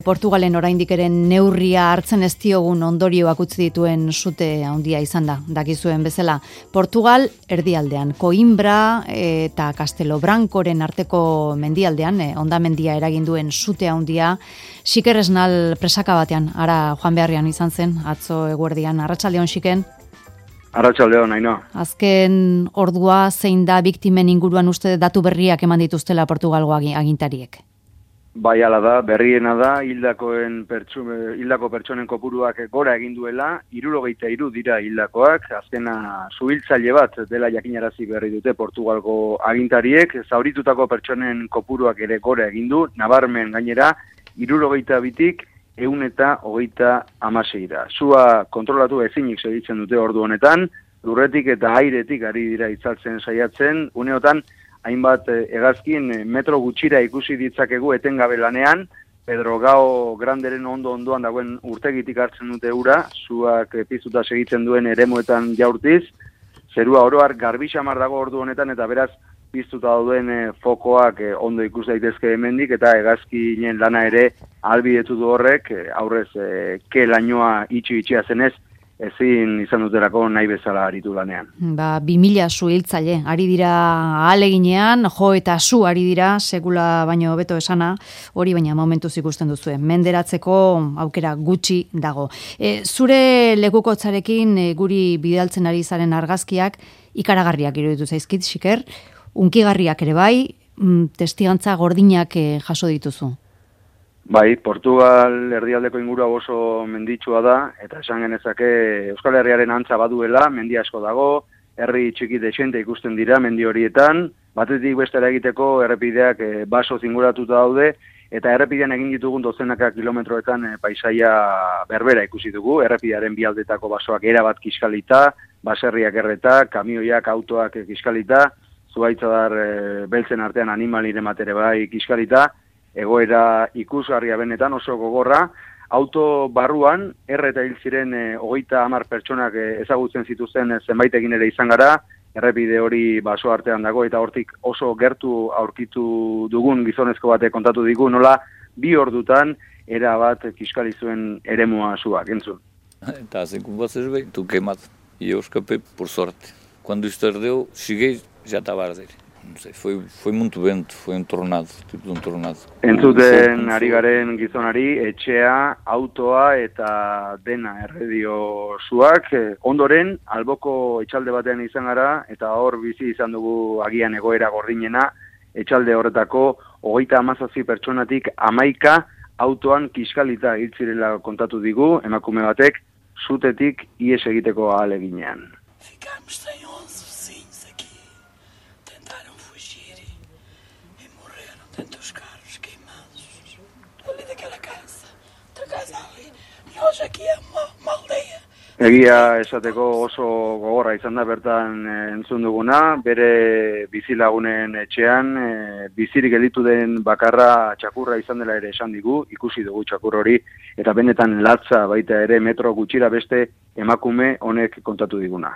Portugalen oraindik ere neurria hartzen ez diogun ondorioak utzi dituen sute handia izan da, dakizuen bezala. Portugal erdialdean, Coimbra eta Castelo Brancoren arteko mendialdean, hondamendia eragin duen sute handia, Xiker Esnal presaka batean, ara joan beharrean izan zen, atzo eguerdian, arratsaldeon Xiken. Arratsaldeon, Aino. Azken ordua zein da biktimen inguruan uste datu berriak eman dituztela Portugalgo agintariek? Bai, ala da, berriena da, hildako pertsonen kopuruak gora egin duela, 73 dira hildakoak, azkena suhiltzaile bat dela jakinarazi berri dute Portugalgo agintariek, zauritutako pertsonen kopuruak ere gora egin du, nabarmen gainera, 72tik 136. Sua kontrolatu ezinik segitzen dute ordu honetan, lurretik eta airetik ari dira itzaltzen saiatzen, uneotan, hainbat hegazkin metro gutxira ikusi ditzakegu etengabe lanean, Pedro Gao Granderen ondoan dagoen urtegitik hartzen dute ura, zuak piztuta segitzen duen eremuetan jaurtiz, zerua oroar garbi xamar dago ordu honetan eta beraz piztuta dauden fokoak ondo ikus daitezke hemendik eta hegazkinen lana ere ahalbidetu du horrek, aurrez ke lainoa itxia zenez, ezin izan duterako nahi bezala aritu lanean. 2000 suhiltzaile, ari dira ahaleginean, jo eta su ari dira, sekula baino hobeto esana, hori baina momentuz ikusten duzue. Menderatzeko aukera gutxi dago. Zure lekukotzarekin guri bidaltzen ari zaren argazkiak ikaragarriak iruditu zaizkit, Xiker, unkigarriak ere bai, testigantza gordinak jaso dituzu. Bai, Portugal erdialdeko ingurua oso menditsua da, eta esan genezake Euskal Herriaren antza baduela, mendi asko dago, herri txiki dexente ikusten dira mendi horietan, batetik bestera egiteko errepideak baso zinguratuta daude, eta errepidean egin ditugun dozenaka kilometroetan paisaia berbera ikusi dugu, errepidearen bi aldetako basoak erabat kiskalita, baserriak erreta, kamioiak, autoak kiskalita, zuhaitzadar beltzen artean animalire matere bai kiskalita, egoera ikusgarria benetan oso gogorra, auto barruan, eta hil ziren 30 pertsonak ezagutzen zituzten zenbaitekin ere izan gara, errepide hori baso artean dago, eta hortik oso gertu aurkitu dugun gizonezko batek kontatu digu, nola 2 ordutan era bat kiskali zuen eremua suak, entzun. Estás com vocês bem, tu queimado. E eu escapei por sorte. Quando isto ardeu, cheguei, já estava a arder. No sé, fue muito vento, fue un tornado, tipo de un tornado. Entzuten ari garen gizonari, etxea, autoa eta dena erredio zuak. Ondoren, alboko etxalde batean izan gara, eta hor bizi izan dugu agian egoera gordinena, etxalde horretako 37 pertsonatik 11 autoan kiskalita hiltzirela kontatu digu, emakume batek, zutetik ihes egiteko ahaleginean. Ficamos sem 11 vizinhos aqui. Tentaram fugir e morreram dentro dos carros queimados. Ali daquela casa, outra casa ali. E hoje aqui é uma aldeia. Egia esateko oso gogorra izan da bertan entzun duguna, bere bizilagunen etxean, bizirik gelditu den bakarra txakurra izan dela ere esan digu, ikusi dugu txakur hori, eta benetan latza baita ere metro gutxira beste emakume honek kontatu diguna.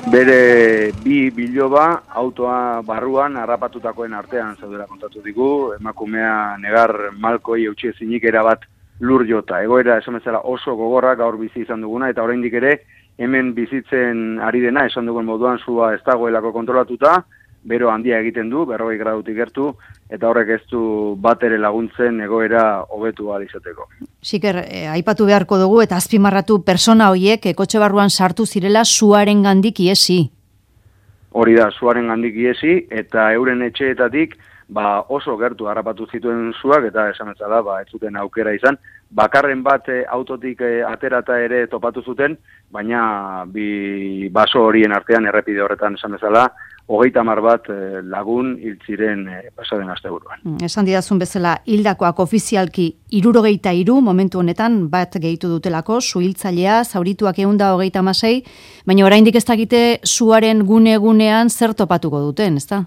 Bere bi biloba autoa barruan harrapatutakoen artean zaudela kontatu digu, emakumea negar malkoi eutsi ezinik erabat lur jota. Egoera esan bezala oso gogorra gaur bizi izan duguna, eta oraindik ere hemen bizitzen ari dena esan dugun moduan sua ez dagoelako kontrolatuta, bero handia egiten du, 40 gradutik gertu, eta horrek ez du bat ere laguntzen egoera hobetu ahal izateko. Xiker, aipatu beharko dugu eta azpimarratu persona horiek kotxe barruan sartu zirela suaren gandik iesi. Hori da, suaren gandik iesi, eta euren etxeetatik oso gertu harrapatu zituen suak, eta esan bezala, ez zuten aukera izan. Bakarren bat autotik aterata ere topatu zuten, baina bi baso horien artean errepide horretan esan bezala, 30 bat lagun hil ziren pasaden asteburuan. Esan didazun bezala, hildakoak ofizialki 73 momentu honetan bat gehitu dutelako, suhiltzailea, zaurituak 136, baina oraindik ez dakite suaren gune-gunean zer topatuko duten, ezta?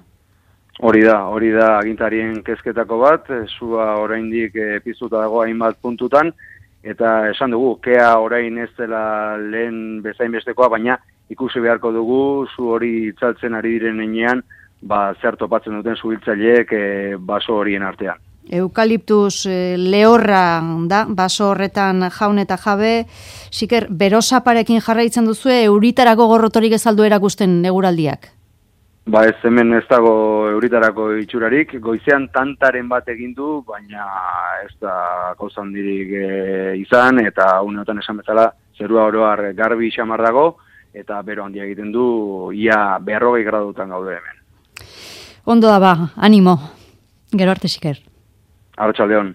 Hori da agintarien kezketako bat, sua oraindik piztuta dago hainbat puntutan, eta esan dugu, kea orain ez dela lehen bezain bestekoa, baina ikusi beharko dugu, zu hori itzaltzen ari diren enean, zer topatzen duten zuhiltzaileek baso horien artean. Eukaliptus lehorra da, baso horretan jaun eta jabe, Xiker, berosaparekin jarraitzen duzu, euritarako gorrotorik ez aldu erakusten eguraldiak? Ez hemen ez dago euritarako itxurarik, goizean tantaren bat egin du, baina ez da gauza handirik izan, eta uneotan esan bezala, zerua oroar garbi xamar dago, eta bero handia egiten du, ia 40 gradutan gaude hemen. Ondo da animo. Gero arte, Xiker. Arratsaldeon.